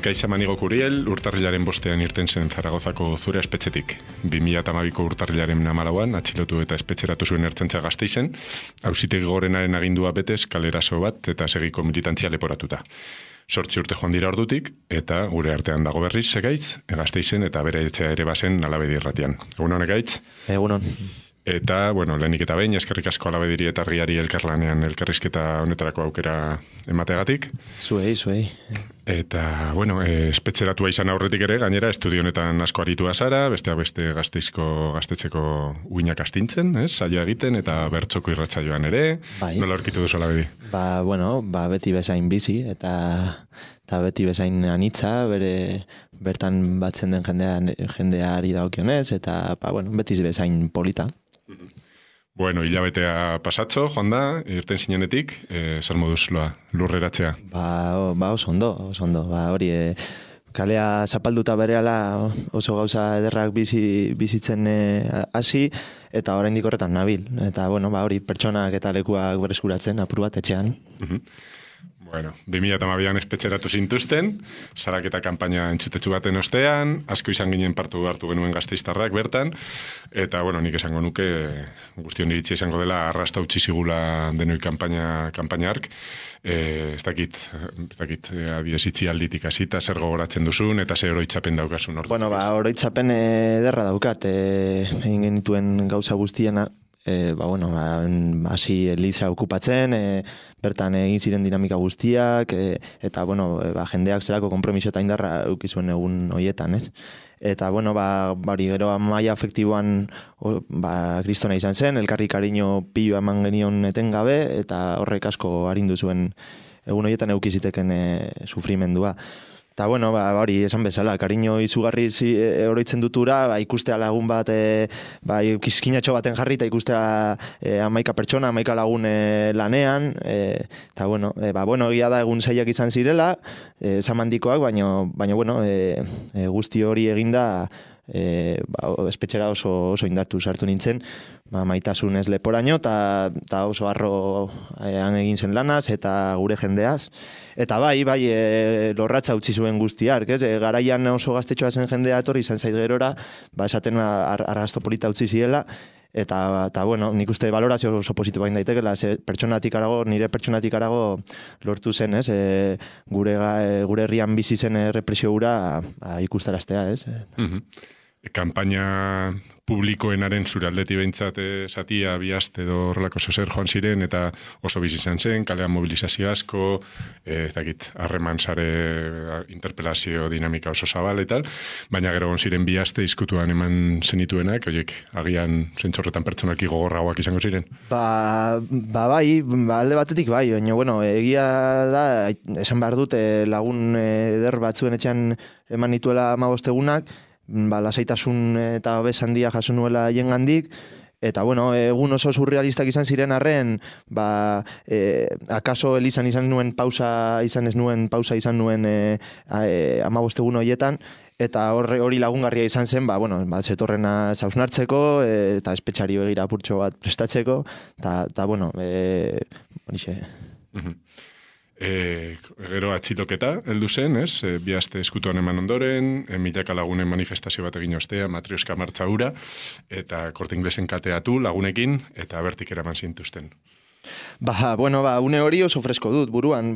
Ekaitz Amanigo Kuriel, urtarrilaren bostean irten zen Zaragozako Zure espetxetik. 2012ko urtarrilaren 14an atxilotu eta espetxeratu zuen Ertzaintza Gasteizen, auzitegi gorenaren agindua betez kalerazo bat eta segiko militantzia leporatuta. 8 urte joan dira ordutik, eta gure artean dago berriz Ekaitz, Gasteizen eta bere etxea ere bazen Alabedi irratian. Egunon, Ekaitz? Egunon. Eta, lehenik eta behin, eskerrik asko Alabediri eta Argiari elkarlanean elkarrizketa honetarako aukera emateagatik. Zuei. Eta, espetxeratua izan aurretik ere, gainera, estudio honetan asko aritua zara, besteak beste gaztetxeko uinak astintzen, saioa egiten, eta bertxoko irratsaioan ere. Bai. Nola aurkitu duzu Alabedi? Beti bezain bizi, eta beti bezain anitza, bertan batzen den jendeari daukionez, eta beti bezain polita. Hilabetea pasatxo, joan da, irten zinenetik, zer moduz lurreratzea? Oso ondo. Hori, kalea zapalduta berehala oso gauza ederrak bizitzen hasi, eta oraindik horretan nabil. Eta, hori, pertsonak eta lekuak bereskuratzen, apur bat etxean. 2012an espetxeratu zintuzten, saraketa kanpaina entzutetsu baten ostean, asko izan ginen partu hartu genuen Gasteiztarrak bertan, eta, nik esango nuke, guztion iritsi izango dela, arrasta utzi zigula denoi kanpaina hark, ez dakit, adiezitzi alditik hasita, zer gogoratzen duzun, eta zer oroitzapen daukasun ordu. Oroitzapen ederra daukat, egin genituen gauza guztiena, hasi Eliza okupatzen, bertan egin ziren dinamika guztiak, eta, jendeak zerako konpromiso eta indarra eukizuen egun hoietan, ez? Eta, gero maila afektiboan kristona izan zen, elkarri kariño piloa eman genion etengabe, eta horrek asko arindu zuen egun hoietan eukiziteken sufrimendua. Eta, hori, esan bezala, kariño izugarri oroitzen dutura, ikustea lagun bat, kiskinatxo baten jarri, eta ikustea 11 pertsona, 11 lagun lanean, eta, egia da egun zailak izan zirela, zamandikoak, baina, guzti hori eginda, espetxera oso indartu sartu nintzen, maitasunez leporaino, eta oso harro egin zen lanaz, eta gure jendeaz. Eta lorratza utzi zuen guztiak, garaian oso gaztetxoa zen jendea etorri izan zait gerora, esaten arrasto polita utzi ziela, eta nik uste valorazio oso positibo bain daitekela, nire pertsonatik arago lortu zen, gure herrian bizi zen represio hura ikustaraztea, ez? Kanpaina publikoenaren zure aldeti behintzat zatia, biast edo horrelako zozer joan ziren, eta oso bizi izan zen, kalean mobilizazio asko, harreman sare interpelazio dinamika oso zabal eta baina gero ziren biaste izkutuan eman zenituenak, horiek agian zentzorretan pertsonaki gogorragoak izango ziren? Alde batetik baina, egia da, esan behar dut, lagun eder batzuen etxean eman nituela 15 egunak, lasaitasun eta bez handia jaso nuela jengandik, eta egun oso surrealistak izan ziren arren, akaso Elizan izan nuen pausa 15 egun horietan, eta hori lagungarria izan zen, zetorrena zausnartzeko, eta espetxari begira apurtxo bat prestatzeko, eta horixe. Gero atxiloketa heldu zen, bi aste eskutuan eman ondoren, milaka lagunen manifestazio bat egin ostea, matrioska martxa hura, eta Korte Inglesen kateatu lagunekin, eta bertik eraman zintuzten. Une hori oso fresko dut buruan,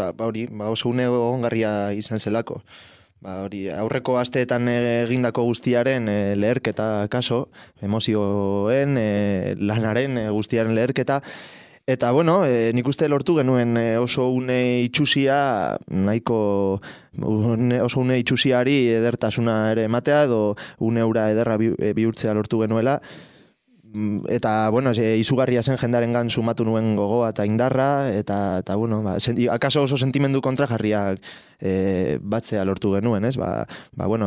oso une ongarria izan zelako. Aurreko asteetan egindako guztiaren leherketa kaso, emozioen, lanaren guztiaren leherketa, eta, nik uste lortu genuen oso une itxusia, oso une itxusiari edertasuna ere ematea, edo une ura ederra bihurtzea lortu genuela, eta, izugarria zen jendarengan sumatu nuen gogoa eta indarra, eta akaso oso sentimendu kontrajarriak batzea lortu genuen,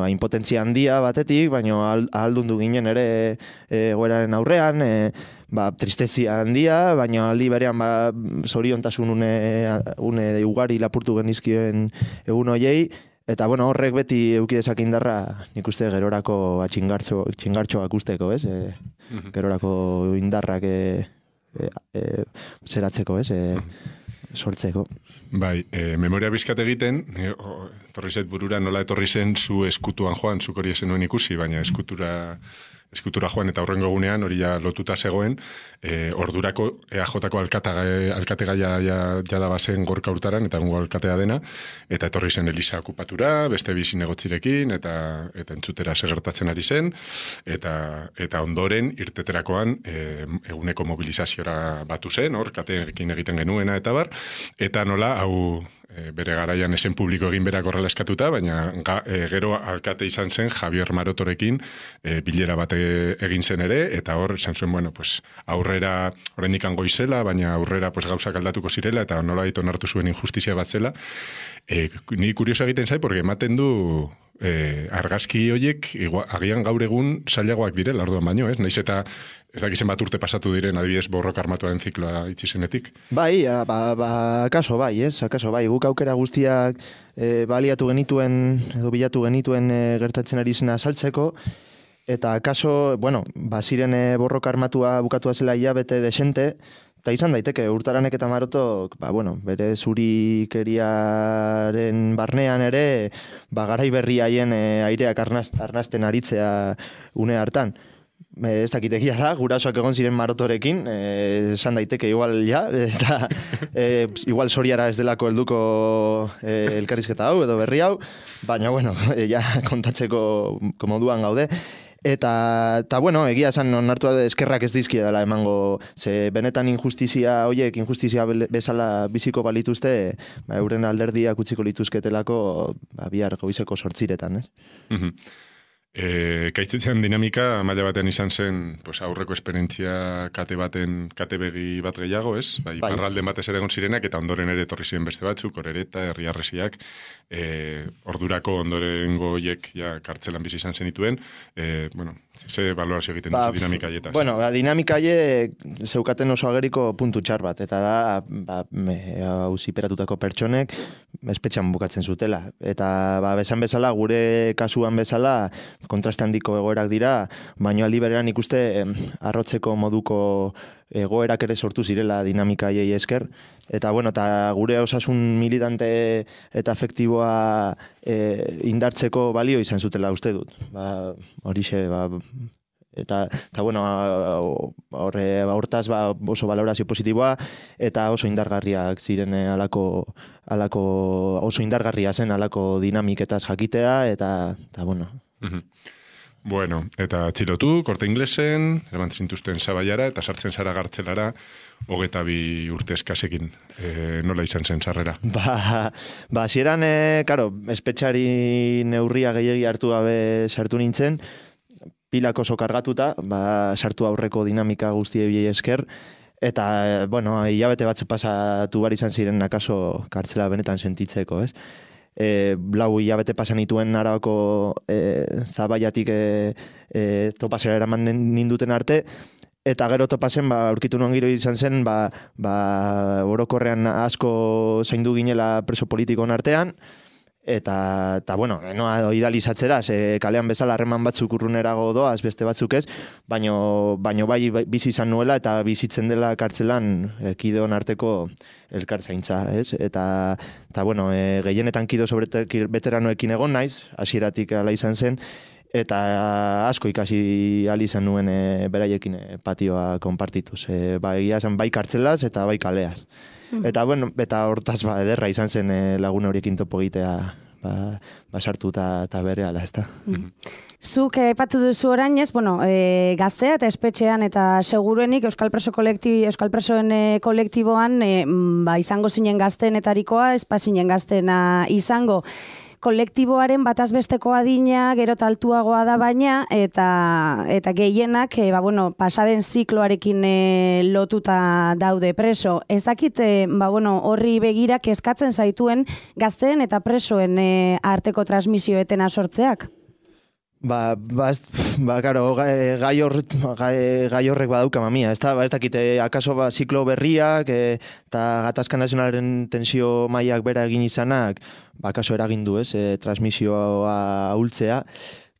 impotentzia handia batetik, baina ahaldundu ginen ere egoeraren aurrean, tristezia handia, baina aldi berean zoriontasun une ugari lapurtu genizkien egun hoiei, eta horrek beti eukidezak indarra nik uste gerorako txingartxoak usteko, gerorako indarrak zeratzeko, sortzeko. Bai, memoria bizkat egiten, etorri zait burura nola etorri zen zu eskutuan joan, zuk hori ezen nuen ikusi, baina eskutura joan eta horrengo egunean hori ja lotuta zegoen, ordurako EAJ-ko alkategaia jada bazen Gorka Hurtaran, eta egungo alkatea dena, eta etorri zen Elisa okupatura, beste bi zinegotzirekin, eta entzutera segertatzen ari zen, eta ondoren irteterakoan eguneko mobilizaziora batu zen, hor, kateekin egiten genuena eta bar, eta nola, hau bere garaian esen publiko egin berak horrela eskatuta, baina gero alkate izan zen Javier Marotorekin bilera bat egin zen ere, eta hor esan zuen, bueno, pues, aurrera, oraindik goizela, baina aurrera pues, gauzak aldatuko zirela, eta nola onartu zuen injustizia bat zela. Ni kurioso egiten zai, porque ematen du argazki horiek agian gaur egun zailagoak direla, orduan baino, ez? Naiz eta ez dakizen bat urte pasatu diren, adibidez, borroka armatuaren zikloa itxi zenetik. Bai, akaso bai, ez? Akaso bai, guk aukera guztiak baliatu genituen, edo bilatu genituen gertatzen ari zena saltzeko, eta akaso, bueno, baziren borroka armatua bukatua zela hilabete desente, eta izan daiteke, Hurtaranek eta Marotok, bere zurikeriaren barnean ere, garai berri haien aireak arnasten aritzea une hartan. Ez dakitekia da, gurasoak egon ziren Marotorekin, esan daiteke igual ja, eta igual Soriara ez delako helduko elkarrizketa hau edo berri hau, baina bueno, ja kontatzeko moduan gaude. Eta bueno, egia esan onartu eskerrak ez dizkia dela emango, ze benetan injustizia bezala biziko balituzte, euren alderdiak utziko lituzketelako bihar goizeko 8:00, ez? Kaitzitzean dinamika maila batean izan zen pues, aurreko esperientzia kate begi bat gehiago, ez? Bai. Parralden batez ere egon zirenak, eta ondoren ere etorri ziren beste batzuk, Orereta, Herriarresiak, ordurako ondorengo hiek ja kartzelan bizi izan zenituen, ze balorazio egiten duzu dinamika haietaz? Bueno, dinamika haiek zeukaten oso ageriko puntu txar bat, eta da, auziperatutako pertsonek espetxan bukatzen zutela. Eta besan bezala, gure kasuan bezala, kontraste handiko egoerak dira, baina aldi berean ikuste arrotzeko moduko egoerak ere sortu zirela dinamika haiei esker, eta bueno, eta gure osasun militante eta afektiboa indartzeko balio izan zutela uste dut. Horixe, eta bueno, hortaz oso valorazio positiboa, eta oso indargarriak ziren oso indargarria zen alako dinamiketaz jakitea, eta bueno. Bueno, eta atxilotu, Korte Inglesen, eraman zintuzten Sabaiara, eta sartzen zara Gartzelara, 22 urte eskasekin. Nola izan zen sarrera? Hasieran, karo, espetxari neurria gehiegi hartu gabe sartu nintzen, pilak oso kargatuta, sartu aurreko dinamika guztiei esker, eta, bueno, hilabete batzu pasatu bar izan ziren akaso kartzela benetan sentitzeko, ez? Lau hilabete pasan nituen Arabako Zabaiatik topasera eraman ninduten arte, eta gero topasen, aurkitu nuen giro izan zen, orokorrean asko zaindu ginela preso politikon artean, eta bueno, noa idealizatzera, kalean bezala harreman batzuk urrunerago doaz, beste batzuk ez, baino bai bizi izan nuela, eta bizitzen dela kartzelan kideon arteko elkartzaintza, ez? Eta bueno, gehienetan kido veteranoekin egon naiz, hasieratik ala izan zen, eta asko ikasi ahal izan nuen beraiekin patioa konpartituz. Egia esan bai kartzelaz eta bai kaleaz. Eta bueno, eta hortaz ederra izan zen lagun horiekin topo egitea sartu eta berehala, ezta. Zuk aipatu duzu orain ez, gaztea eta espetxean eta seguruenik Euskal Presoen kolektiboan izango zinen gazteenetarikoa, ez zinen gazteena izango. Kolektiboaren batazbesteko adina gero altuagoa da baina, eta gehienak pasaden zikloarekin lotuta daude preso. Ez dakit horri begira kezkatzen zaituen gazteen eta presoen arteko transmisioetena sortzeak? Karo, gai horrek badauka mamia, ez dakite, akaso ziklo berriak eta gatazka nazionalaren tensio mailak bera egin izanak, akaso eragindu, ez, transmisioa ahultzea.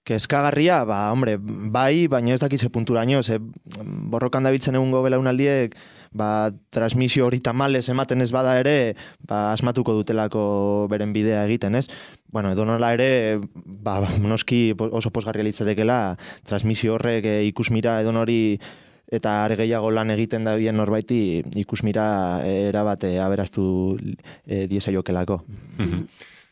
Kezkagarria, bai, baina ez dakitze punturaino, borrokan dabiltzen egungo belaunaldiek, transmisio hori tamales ematen ez bada ere, asmatuko dutelako beren bidea egiten, ez? Bueno, edo nola ere, noski oso pozgarria litzatekela, transmisio horrek ikusmira edo nori eta are gehiago lan egiten da bien norbaiti ikusmira erabate aberastu diesaiokelako.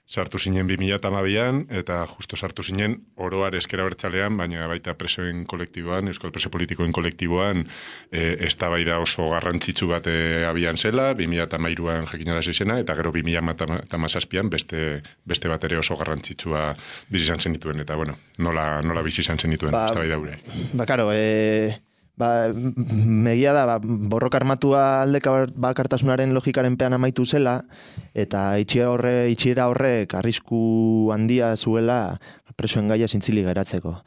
Sartu zinen 2012an, eta justo sartu zinen oroar ezker abertzalean, baina baita presoen kolektiboan, euskal preso politikoen kolektiboan, eztabaida oso garrantzitsu bat abian zela, 2013an jakinarazi zena, eta gero 2017an beste bat ere oso garrantzitsua bizi izan zenituen, eta bueno, nola bizi izan zenituen eztabaida hura. Karo, megia da, borroka armatua aldeka bakartasunaren logikaren pean amaitu zela, eta itxiera horrek arrisku handia zuela presoen gaia zintzili geratzeko.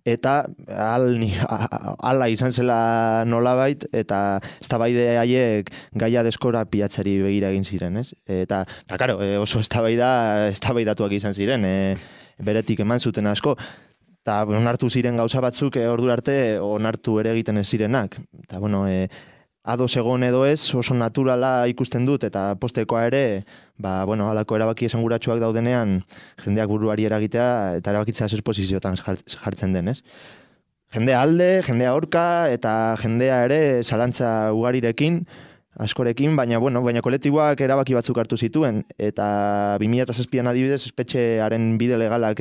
Eta ala izan zela nolabait, eta eztabaide haiek gaia deskora pilatzari begira egin ziren, ez? Eta karo, oso eztabaidatuak izan ziren, beretik eman zuten asko, eta onartu ziren gauza batzuk ordura arte onartu ere egiten ez zirenak. Eta bueno, ados egon edo ez, oso naturala ikusten dut, eta postekoa ere, halako erabaki esanguratsuak daudenean, jendeak buruari eragitea, eta erabakitzea zer posiziotan jartzen den, ez? Jendea alde, jendea aurka, eta jendea ere zalantza ugarirekin, askorekin, baina kolektiboak erabaki batzuk hartu zituen, eta 2007an adibidez, espetxearen bide legalak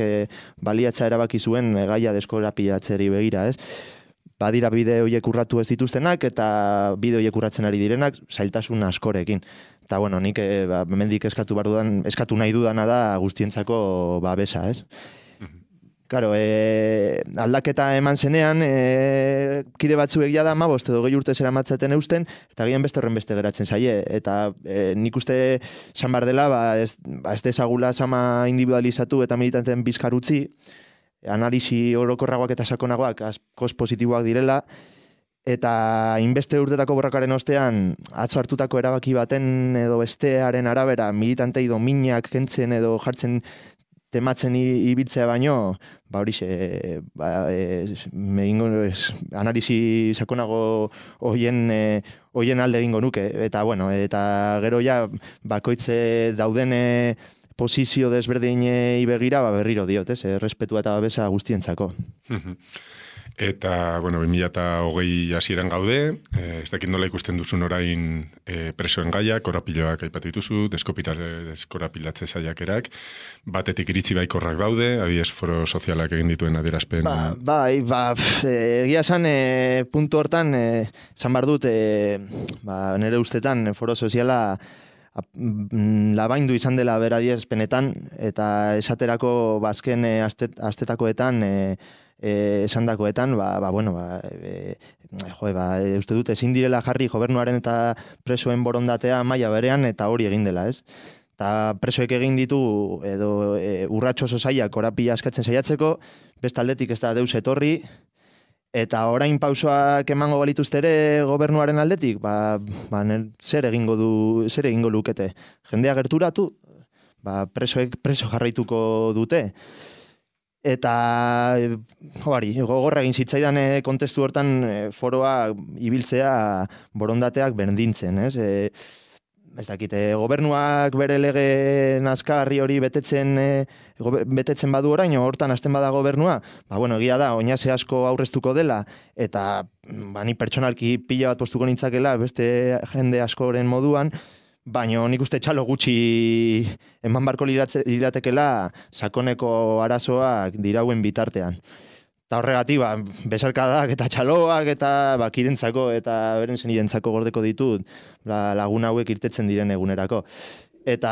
baliatza erabaki zuen gaia deskorapilatzeri begira, ez? Badira bide horiek urratu ez dituztenak, eta bide horiek urratzen ari direnak, zailtasun askorekin. Eta nik hemendik eskatu nahi dudana da guztientzako babesa, ez? Claro, aldaketa eman zenean, kide batzuek jada 15 edo 20 urte zeramatzaten eusten, eta gian beste horren beste geratzen zaie. Eta nik uste esan bar dela, ez dezagula sama individualizatu eta militanten bizkar utzi, analisi orokorragoak eta sakonagoak askoz positiboak direla, eta inbeste urtetako borrakaren ostean, atzo hartutako erabaki baten edo bestearen arabera militantei dominak kentzen edo jartzen tematzen ibiltzea baino, analisi sakonago hoien alde egingo nuke. Eta, eta gero ja, bakoitze dauden posizio desberdinei begira, berriro diot, respetua eta babesa guztientzako. Eta, 2020 hasieran gaude, ez dakit nola ikusten duzun orain presoen gaiak, korapiloak aipatu dituzu, deskorapilatze saiakerak, batetik iritzi baikorrak daude, adibidez foro sozialak egin dituen adierazpen. Egia esan, puntu hortan, esan bar dut, nire ustetan foro soziala labaindu izan dela beradiezpenetan, eta esaterako azken astetakoetan, esandakoetan, uste dut ezin direla jarri gobernuaren eta presoen borondatea maila berean eta hori egin dela, ez? Eta presoek egin ditu edo urratxo oso zailak korapila askatzen saiatzeko, bestaldetik ez da deus etorri, eta orain pausoak emango balituzte ere gobernuaren aldetik, zer egingo lukete? Jendea gerturatu, presoek preso jarraituko dute. Eta gogorra egin zitzaidan kontestu hortan foroa ibiltzea borondateak berdintzen, ez? Ez dakite, gobernuak bere lege nazkarri hori betetzen badu orain, hortan hasten bada gobernua, egia da, oinase asko aurreztuko dela, eta ni pertsonalki pila bat postuko nintzakela, beste jende askoren moduan, baina nik uste txalo gutxi eman barko liratekela sakoneko arazoak dirauen bitartean. Eta horregatik, besarkadak eta txaloak eta kidentzako eta beren zenidentzako gordeko ditut lagun hauek irtetzen diren egunerako. Eta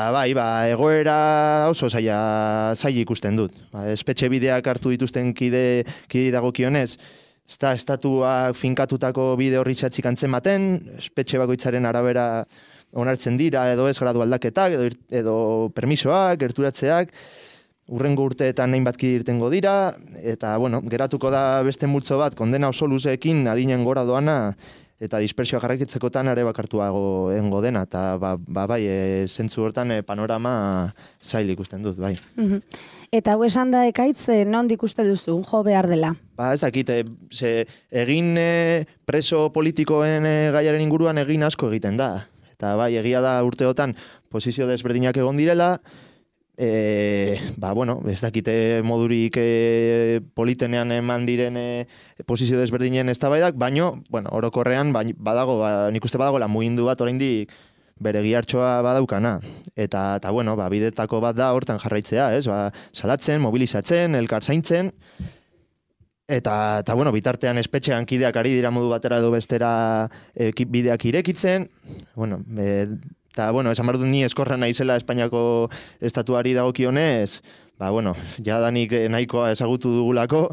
egoera oso zaila ikusten dut. Espetxe bideak hartu dituzten kide dagokionez, ez da estatuak finkatutako bide horri txatzik antzematen, espetxe bakoitzaren arabera onartzen dira edo ez gradu aldaketak edo permisoak, gerturatzeak, urrengo urteetan hainbat kide irtengo dira, eta geratuko da beste multzo bat kondena oso luzeekin adinen gora doana eta dispersioa jarraikitzekotan are bakartuago engo dena, eta bai, zentzu hortan panorama zail ikusten dut, bai. Eta hau esan da Ekaitz, nondik uste duzu, jo behar dela? Ez dakit, egin preso politikoen gaiaren inguruan egin asko egiten da. Eta bai, egia da urteotan posizio desberdinak egon direla, ez dakite modurik politenean eman diren posizio desberdinen eztabaidak, baino, orokorrean badago, nik uste badagoela mugindu bat oraindik bere gihartxoa badaukana. Eta bidetako bat da hortan jarraitzea, ez? Salatzen, mobilizatzen, elkar zaintzen, eta bitartean espetxean kideak ari dira modu batera edo bestera bideak irekitzen, eta, esan behar dut ni eskorra naizela Espainiako estatuari dagokionez, jadanik nahikoa ezagutu dugulako,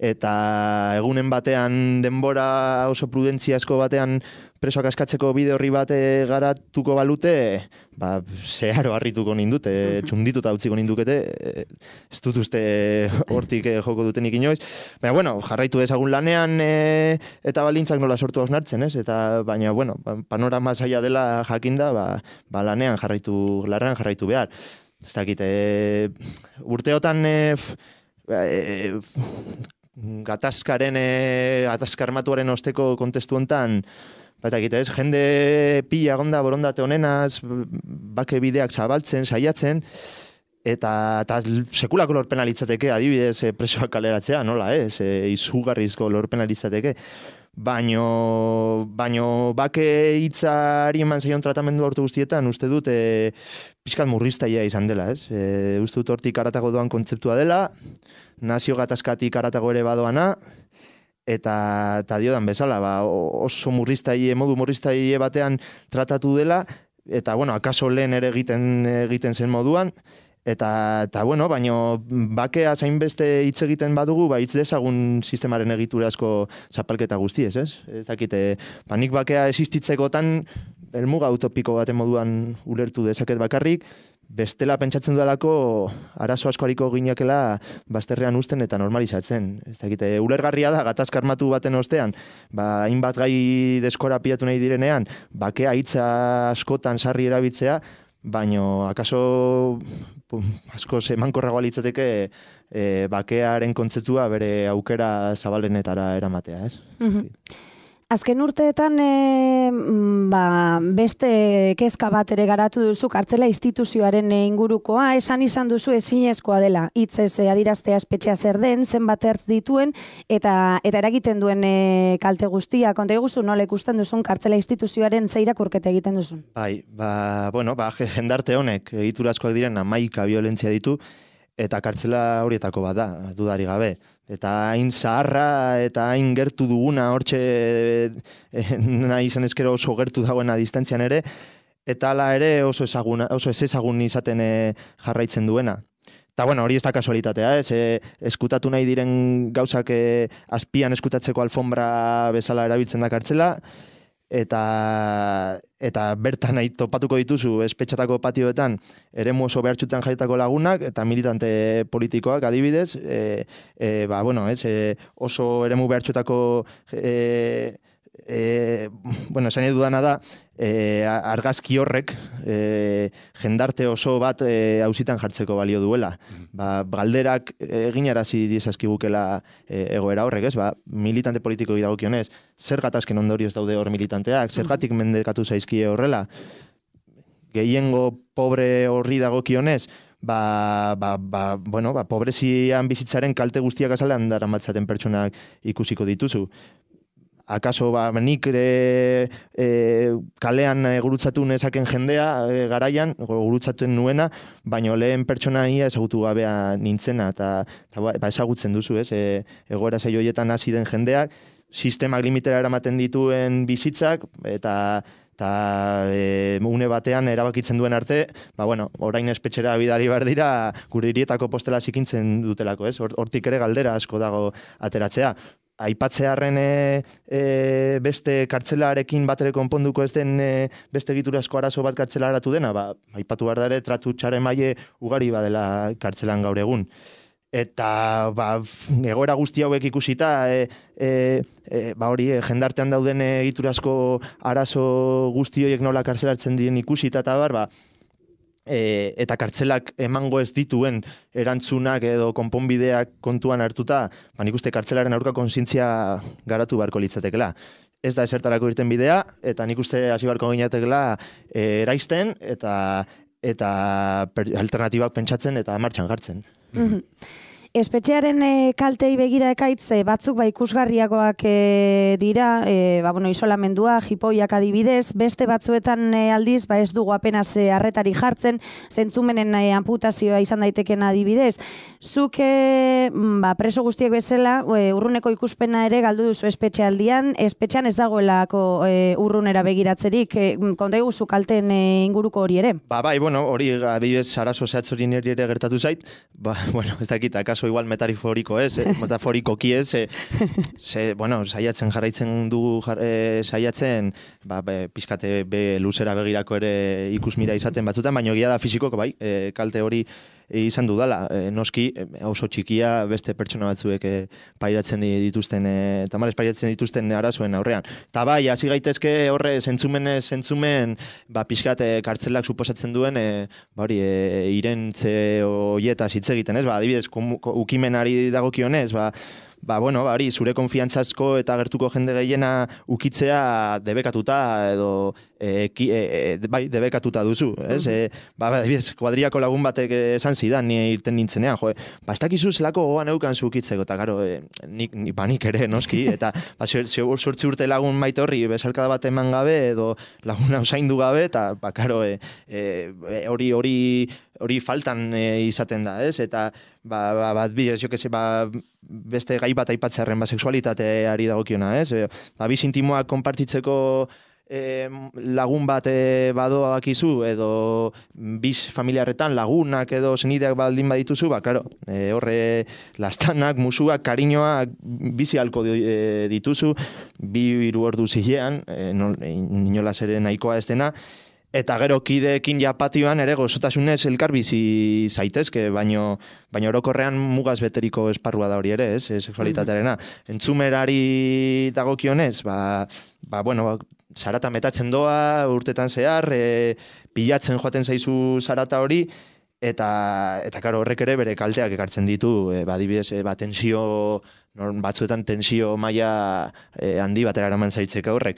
eta egunen batean denbora oso prudentziazko batean presoak askatzeko bide horri bat garatuko balute, zeharo harrituko nindute, txundituta utziko nindukete, ez dut uste hortik joko dutenik inoiz. Baina, jarraitu dezagun lanean eta baldintzak nola sortu hausnartzen, ez? Baina, panorama zaila dela jakinda, lanean jarraitu behar. Ez dakit, urteotan gatazkarmatuaren osteko kontestu hontan, jende pila gonda borondate honenaz, bake bideak zabaltzen, saiatzen, eta sekulako lorpena litzateke, adibidez, presoak kaleratzea, nola, izugarrizko lorpena litzateke. Baino bake hitzari eman zaion tratamendu hortu guztietan, uste dut pixkat murriztaia izan dela, ez? Uste dut hortik aratago doan kontzeptua dela, nazio gatazkatik aratago ere badoana, eta diodan bezala, oso modu murriztaile batean tratatu dela, eta, akaso lehen ere egiten zen moduan, eta baino, bakea zainbeste hitz egiten badugu, hitz dezagun sistemaren egitura asko zapalketa guztiez, ez? Ez dakite, nik bakea existitzekotan, helmuga utopiko baten moduan ulertu dezaket bakarrik, bestela pentsatzen dudalako arazo asko hariko ginekela bazterrean uzten eta normalizatzen. Ez dakite, ulergarria da, gatazka armatu baten ostean, hainbat gai deskorapiatu nahi direnean, bakea hitza askotan sarri erabiltzea, baino akaso asko emankorragoa litzateke bakearen kontzeptua bere aukera zabalenetara eramatea, ez? Azken urteetan beste kezka bat ere garatu duzu kartzela instituzioaren ingurukoa, esan izan duzu ezinezkoa dela, hitzez adiraztea espetxea zer den, zenbat ertz dituen, eta eragiten duen kalte guztia. Konta iguzu, nola ikusten duzun kartzela instituzioaren ze irakurketa egiten duzun? Jendarte honek egiturazkoak diren 11 violentzia ditu, eta kartzela horietako bat da, dudari gabe. Eta hain zaharra eta hain gertu duguna, hortxe nahi izan ezkero oso gertu dagoena distantzian ere, eta hala ere oso ez ezagun izaten jarraitzen duena. Eta hori ez da kasualitatea, eskutatu nahi diren gauzak azpian eskutatzeko alfombra bezala erabiltzen da kartzela, eta bertan nahi topatuko dituzu espetxatako patioetan eremu oso behartxutan jaitako lagunak eta militante politikoak adibidez, oso eremu behartxutako esan edudana da, argazki horrek jendarte oso bat auzitan jartzeko balio duela. Galderak eginarazi dizazkigukela egoera horrek, ez? Militante politiko dagokionez, zer gatazken ondorioz daude hor militanteak, zergatik mendekatu zaizkie horrela, gehiengo pobre horri dagokionez, pobrezian bizitzaren kalte guztiak azalean daramatzaten pertsonak ikusiko dituzu. Akaso nik kalean gurutzatu nezaken jendea garaian, gurutzatzen nuena, baino lehen pertsonaia ezagutu gabea nintzena, eta ezagutzen duzu, ez? Egoera zei horietan hasi den jendeak, sistemak limitera eramaten dituen bizitzak, eta une batean erabakitzen duen arte, orain espetxera bidali behar dira, gure hirietako postela zikintzen dutelako, ez? Hortik ere galdera asko dago ateratzea. Aipatzearren beste kartzelarekin bat ere konponduko ez den beste egiturazko arazo bat kartzelaratu dena, aipatu behar da ere tratu txare maile ugari badela kartzelan gaur egun. eta egoera guzti hauek ikusita hori jendartean dauden egiturazko arazo guzti horiek nola kartzelatzen diren ikusita eta eta kartzelak emango ez dituen erantzunak edo konponbideak kontuan hartuta, nik uste kartzelaren aurka kontzientzia garatu beharko litzatekela. Ez da esertarako irten bidea, eta nik uste hasi beharko ginatekela eraisten eta alternatibak pentsatzen eta martxan jartzen. Espetxearen kaltei begira ekaitz, batzuk ikusgarriagoak dira, isolamendua, jipoiak adibidez, beste batzuetan aldiz, ez dugu apenas arretari jartzen, zentzumenen amputazioa izan daiteken adibidez. Zuk preso guztiek bezala, urruneko ikuspena ere galdu duzu espetxean ez dagoelako urrunera begiratzerik, konta iguzu kalten inguruko hori ere? Hori adibidez arazo zehatz hori niri ere gertatu zait, ez dakit, akaso igual metaforiko metaforikoki saiatzen jarraitzen dugu saiatzen, pizkate luzera begirako ere ikusmira izaten batzutan, baina egia da fisikoko kalte hori izan dudala, noski oso txikia beste pertsona batzuek pairatzen dituzten arazoen aurrean. Ta hasi gaitezke horre zentzumen pixkat kartzelak suposatzen duen irentze hoietaz hitz egiten, ez? Adibidez, ukimenari dagokionez, hori zure konfiantzazko eta gertuko jende gehiena ukitzea debekatuta edo debekatuta duzu, ez? Adibidez, kuadriako lagun batek esan zidan, ni irten nintzenean, ez dakizu zelako gogoan eukan zu ukitzeko, eta karo, nik ere, noski, eta sortzi urte lagun maite horri, besarkada bat eman gabe, edo laguna usaindu gabe, eta karo, hori faltan izaten da, ez? Eta beste gai bat aipatzearen sexualitateari dagokiona, ez? Biz intimoak konpartitzeko lagun bat badoakizu edo biz familiarretan lagunak edo senideak baldin badituzu, horre lastanak, musuak, kariñoak bizi halko dituzu, 2-3 ordu zilean, inolas ere nahikoa ez dena, eta gero kideekin patioan ere gozotasunez elkar bizi zaitezke, baino orokorrean mugaz beteriko esparrua da hori ere, ez, sexualitatearena. Entzumerari dagokionez, zarata metatzen doa, urtetan zehar, pilatzen joaten zaizu zarata hori, eta karo, horrek ere bere kalteak ekartzen ditu, adibidez, tensio, batzuetan tensio maila handi batera eraman zaitzeka horrek.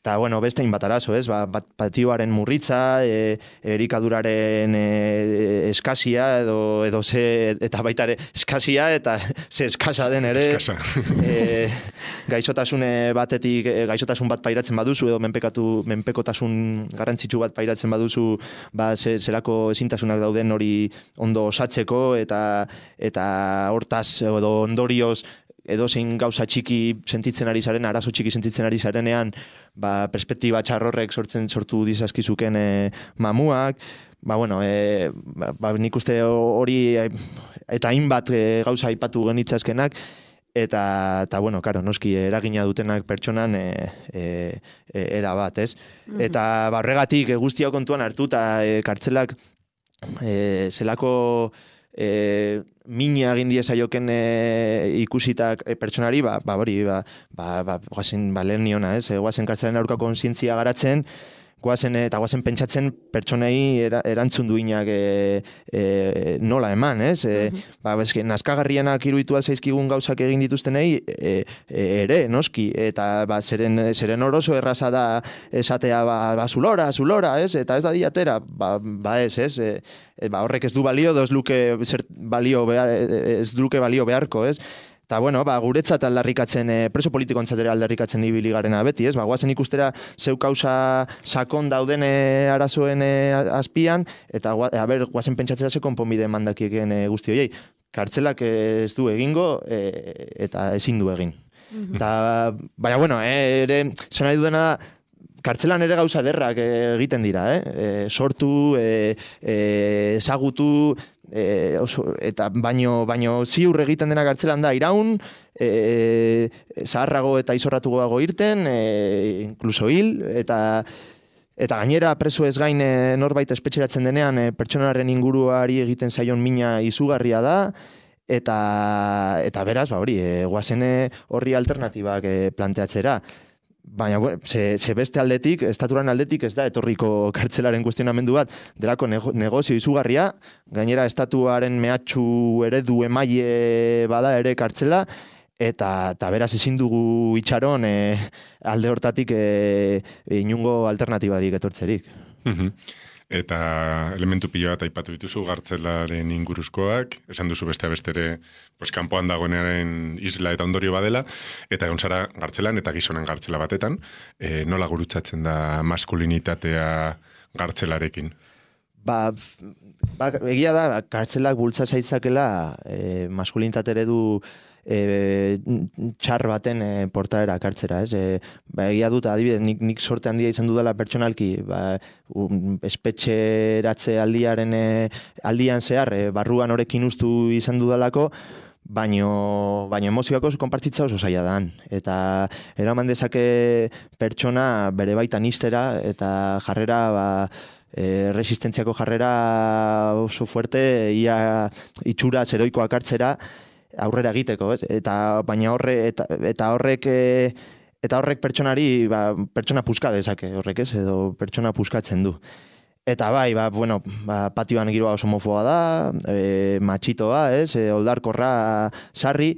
Eta, beste hainbat arazo, ez? Patioaren murritza, erikaduraren eskasia, edo ze, eta baita ere eskasia, eta ze eskasa den ere. Gaixotasun bat pairatzen baduzu, edo menpekotasun garrantzitsu bat pairatzen baduzu, zelako ezintasunak dauden hori ondo osatzeko, eta hortaz, edo ondorioz, edo zein gauza txiki sentitzen ari zaren, arazo txiki sentitzen ari zarenean, perspektiba txarrorrek sortu dizazkizuken mamuak, nik uste hori eta hainbat gauza aipatu genitzazkenak, eta noski eragina dutenak pertsonan era bat, ez? Eta horregatik guzti hau kontuan hartuta kartzelak zelako mina egin diezaioken ikusitak pertsonari, guazen lehen niona, ez? Guazen kartzelen aurka kontzientzia garatzen, guazen pentsatzen pertsonei erantzun duinak nola eman, ez? Nazkagarrienak iruditu zaizkigun gauzak egin dituztenei ere, noski, eta zeren oroso erraza da esatea zulora, ez? Eta ez da diatera, ez? Horrek ez du balio, ez luke balio beharko, ez? Eta, guretzat aldarrikatzen, preso politikoentzat ere aldarrikatzen ibili garena beti, ez? Guazen ikustera zeu kausa sakon dauden arazoen azpian, eta guazen pentsatzea ze konponbide mandakieken guzti horiei. Kartzelak ez du egingo, eta ezin du egin. Eta, ere, zen nahi dudena da, kartzelan ere gauza derrak egiten dira, sortu, ezagutu, eta baino ziur egiten dena kartzelan da iraun, zaharrago eta izorratuago irten, inkluso hil, eta gainera preso ez gain norbait espetxeratzen denean pertsonaren inguruari egiten zaion mina izugarria da, eta beraz, hori, guazen horri alternatibak planteatzera. Baina, ze beste aldetik, estaturan aldetik ez da etorriko kartzelaren kuestionamendu bat, delako negozio izugarria, gainera estatuaren mehatxu eredu emaile bada ere kartzela, eta beraz ezin dugu itxaron alde hortatik inungo alternatibarik etortzerik. Eta elementu pilo bat aipatu dituzu gartzelaren inguruzkoak, esan duzu beste bestere kanpoan dagoenaren isla eta ondorio badela, eta egon zara gartzelan eta gizonen gartzela batetan, nola gurutzatzen da maskulinitatea gartzelarekin? Egia da, gartzelak bultza zaitzakela maskulinitate eredu txar baten portaera kartzera, ez? Egia dut, adibidez, nik sorte handia izan dudala pertsonalki, espetxeratze aldian zehar, barruan horekin ustu izan dudalako, baino emozioak oso konpartitza oso zaila dan. Eta eraman dezake pertsona bere baitan iztera, eta jarrera, resistentziako jarrera oso fuerte, ia itxura zeroikoak hartzera, aurrera egiteko, ez? Baina horrek pertsonari, pertsona puska dezake horrek, ez? Edo pertsona puskatzen du. Eta patioan giroa oso homofoba da, matxitoa, ez? Oldarkorra sarri,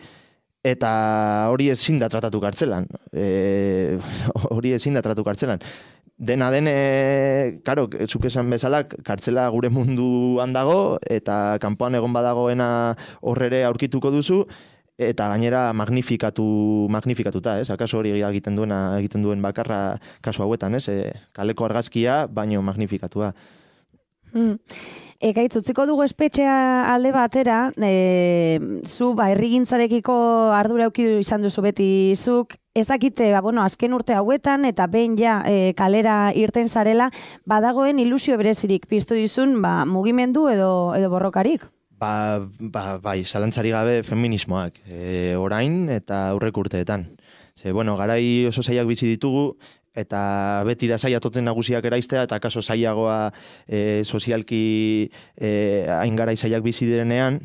eta hori ezin da tratatu kartzelan. Dena den, karo, zuk esan bezala, kartzela gure munduan dago, eta kanpoan egon badagoena horrere aurkituko duzu, eta gainera magnifikatuta, ez? Akaso hori egiten duen bakarra kasu hauetan, ez? Kaleko argazkia, baino magnifikatua. Ekaitz, utziko dugu espetxea alde batera, zu herrigintzarekiko ardura eduki izan duzu beti zuk, ez dakite, azken urte hauetan, eta behin kalera irten zarela, badagoen ilusio berezirik piztu dizun, mugimendu edo borrokarik? Bai, zalantzari gabe feminismoak, orain eta aurrek urteetan. Garai oso zailak bizi ditugu, eta beti da zaila toten nagusiak eraiztea, eta kaso zailagoa sozialki hain garai zailak bizi direnean,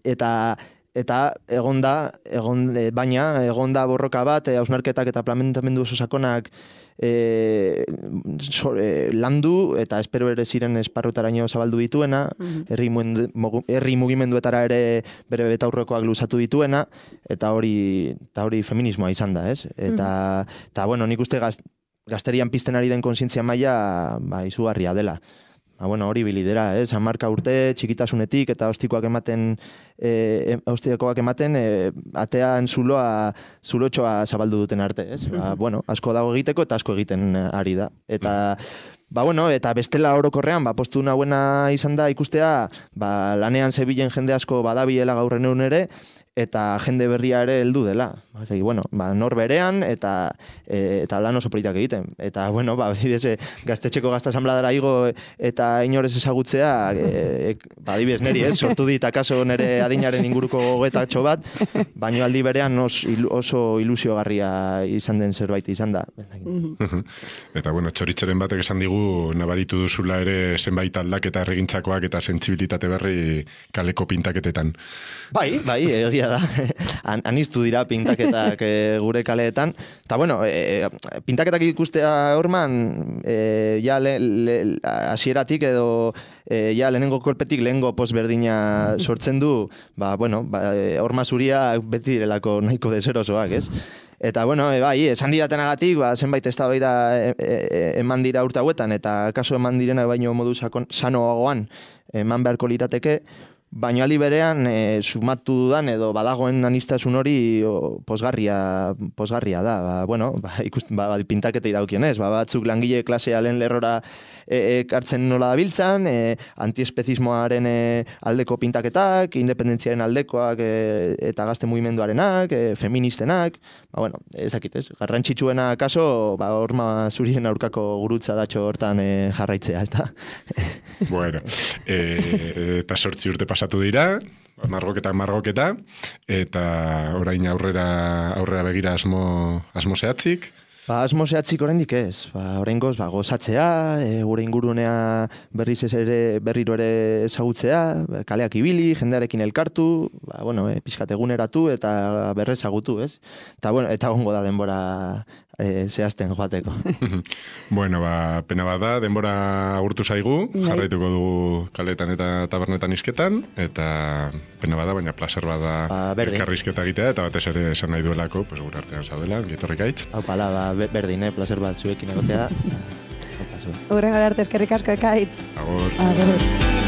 eta baina egonda borroka bat, hausnarketak eta planteamendu oso sakonak landu, eta espero ere ziren esparrutaraino zabaldu dituena, herri mugimenduetara ere bere betaurrekoak luzatu dituena, eta hori feminismoa izan da, ez? Eta nik uste gazterian pizten ari den kontzientzia maila izugarria dela. Hori bilidera, 10 urte txikitasunetik eta ostikoak ematen, atean zulotxoa zabaldu duten arte, ez? Asko dago egiteko eta asko egiten ari da. Eta bestela orokorrean, postu nahuena izan da ikustea, lanean zebilen jende asko badabilela gaurren egun ere, eta jende berria ere heldu dela. Nor berean eta lan oso politak egiten. Eta, gaztetxeko gazta asanbladara igo eta inorez ezagutzea, adibidez neri, sortu dit akaso nere adinaren inguruko gogetatxo bat, baino aldi berean oso ilusiogarria izan den zerbait izan da. Eta, txoritxeren batek esan digu, nabaritu duzula ere zenbait aldaketa erregintzakoak eta sentsibilitate berri kaleko pintaketetan. Bai, egia da. Aniztu dira pintaketak gure kaleetan. Eta, pintaketak ikustea horman, hasieratik edo lehenengo kolpetik lehenengo posberdina sortzen du, horma zuria beti direlako nahiko deserosoak, ez? Eta, esan didatenagatik, zenbait eztabaida eman dira urte hauetan, eta kaso eman direna baino modu sanoagoan eman beharko lirateke, baina aldi berean sumatu dudan edo badagoen anistasun hori posgarria da. Pintaketei daukionez, batzuk langile klasea lehen lerrora ekartzen nola dabiltzan, antiespezismoaren aldeko pintaketak, independentziaren aldekoak eta gazte mugimenduarenak, feministenak, ezakit ez, garrantzitsuena kaso, horma zurien aurkako gurutza datxo hortan jarraitzea, ez da? Eta 8 urte pasatu dira, margoketa, eta orain aurrera begira asmo zehatzik? Asmo zehatzik oraindik ez. Oraingoz gozatzea, gure ingurunea berriro ere ezagutzea, kaleak ibili, jendearekin elkartu, pixkat eguneratu eta berrezagutu, ez? Eta ongo da denbora zehazten joateko. Bueno, pena bat da, denbora agurtu zaigu, jarraituko dugu kaletan eta tabernetan isketan, eta pena bat da, baina placer bat da elkarrizketa egitea, eta batez ere esan nahi duelako, gure artean zaudela, gitorrik aitz. Haupala, berdin, placer bat zuekin egotea. Hurrengo arte eskerrik asko ekaitz. Agur. Agur.